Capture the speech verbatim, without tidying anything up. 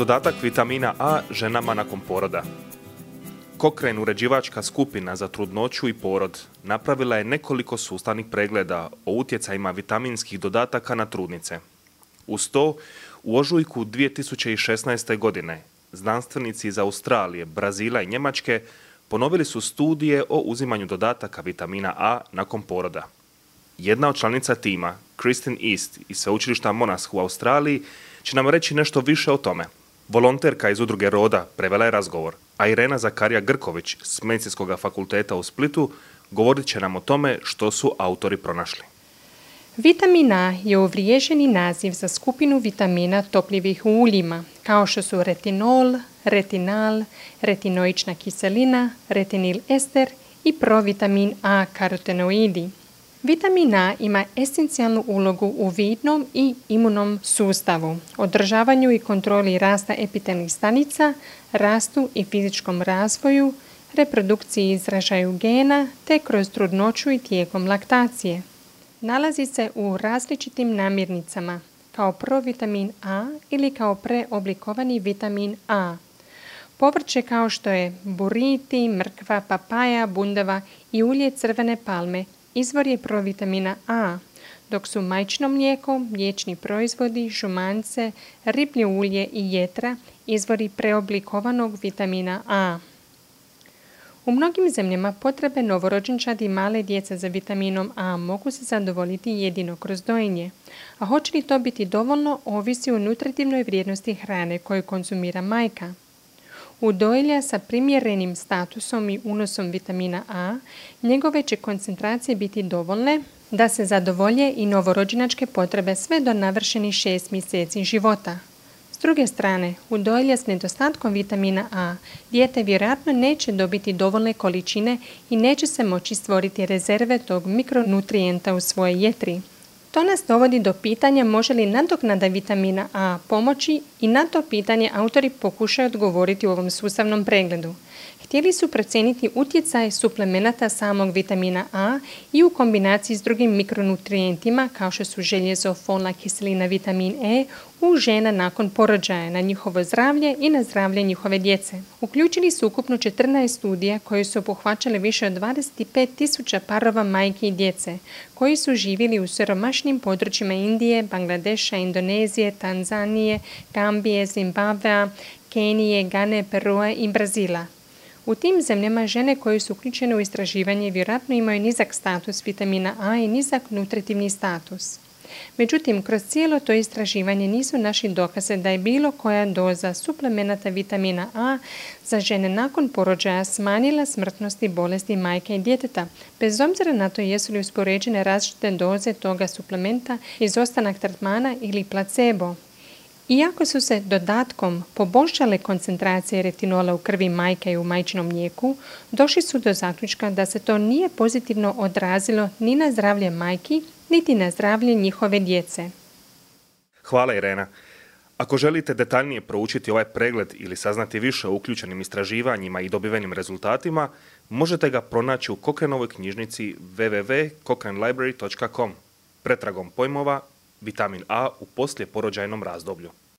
Dodatak vitamina A ženama nakon poroda. Cochrane uređivačka skupina za trudnoću i porod napravila je nekoliko sustavnih pregleda o utjecajima vitaminskih dodataka na trudnice. Uz to, u ožujku dvije tisuće šesnaeste. godine znanstvenici iz Australije, Brazila i Njemačke ponovili su studije o uzimanju dodataka vitamina A nakon poroda. Jedna od članica tima, Kristen East iz sveučilišta Monash u Australiji, će nam reći nešto više o tome. Volonterka iz udruge Roda prevela je razgovor, a Irena Zakarija-Grković s Medicinskog fakulteta u Splitu govorit će nam o tome što su autori pronašli. Vitamin A je uvriježeni naziv za skupinu vitamina topljivih u uljima, kao što su retinol, retinal, retinoična kiselina, retinil ester i provitamin A karotenoidi. Vitamin A ima esencijalnu ulogu u vidnom i imunom sustavu, održavanju i kontroli rasta epitelnih stanica, rastu i fizičkom razvoju, reprodukciji i izražaju gena, te kroz trudnoću i tijekom laktacije. Nalazi se u različitim namirnicama, kao provitamin A ili kao preoblikovani vitamin A. Povrće kao što je buriti, mrkva, papaja, bundava i ulje crvene palme izvor je provitamina A, dok su majčino mlijeko, mliječni proizvodi, žumance, riblje ulje i jetra izvori preoblikovanog vitamina A. U mnogim zemljama potrebe novorođenčadi i male djece za vitaminom A mogu se zadovoljiti jedino kroz dojenje, a hoće li to biti dovoljno ovisi o nutritivnoj vrijednosti hrane koju konzumira majka. U dojilja sa primjerenim statusom i unosom vitamina A, njegove će koncentracije biti dovoljne da se zadovolje i novorođinačke potrebe sve do navršenih šest mjeseci života. S druge strane, u dojilja s nedostatkom vitamina A, dijete vjerojatno neće dobiti dovoljne količine i neće se moći stvoriti rezerve tog mikronutrijenta u svojoj jetri. To nas dovodi do pitanja može li nadoknada vitamina A pomoći i na to pitanje autori pokušaju odgovoriti u ovom sustavnom pregledu. Htjeli su procijeniti utjecaj suplemenata samog vitamina A i u kombinaciji s drugim mikronutrijentima kao što su željezo, folna kiselina, vitamin E u žena nakon porođaja na njihovo zdravlje i na zdravlje njihove djece. Uključili su ukupno četrnaest studija koje su obuhvaćale više od dvadeset pet tisuća parova majki i djece koji su živjeli u siromašnim područjima Indije, Bangladeša, Indonezije, Tanzanije, Gambije, Zimbabvea, Kenije, Gane, Perua i Brazila. U tim zemljama žene koje su uključene u istraživanje vjerojatno imaju nizak status vitamina A i nizak nutritivni status. Međutim, kroz cijelo to istraživanje nisu našli dokaze da je bilo koja doza suplemenata vitamina A za žene nakon porođaja smanjila smrtnost i bolesti majke i djeteta, bez obzira na to jesu li uspoređene različite doze toga suplementa, izostanak tretmana ili placebo. Iako su se dodatkom poboljšale koncentracije retinola u krvi majke i u majčinom mlijeku, došli su do zaključka da se to nije pozitivno odrazilo ni na zdravlje majki, niti na zdravlje njihove djece. Hvala Irena. Ako želite detaljnije proučiti ovaj pregled ili saznati više o uključenim istraživanjima i dobivenim rezultatima, možete ga pronaći u Cochraneovoj knjižnici w w w točka cochrane library točka com pretragom pojmova vitamin A u poslijeporođajnom razdoblju.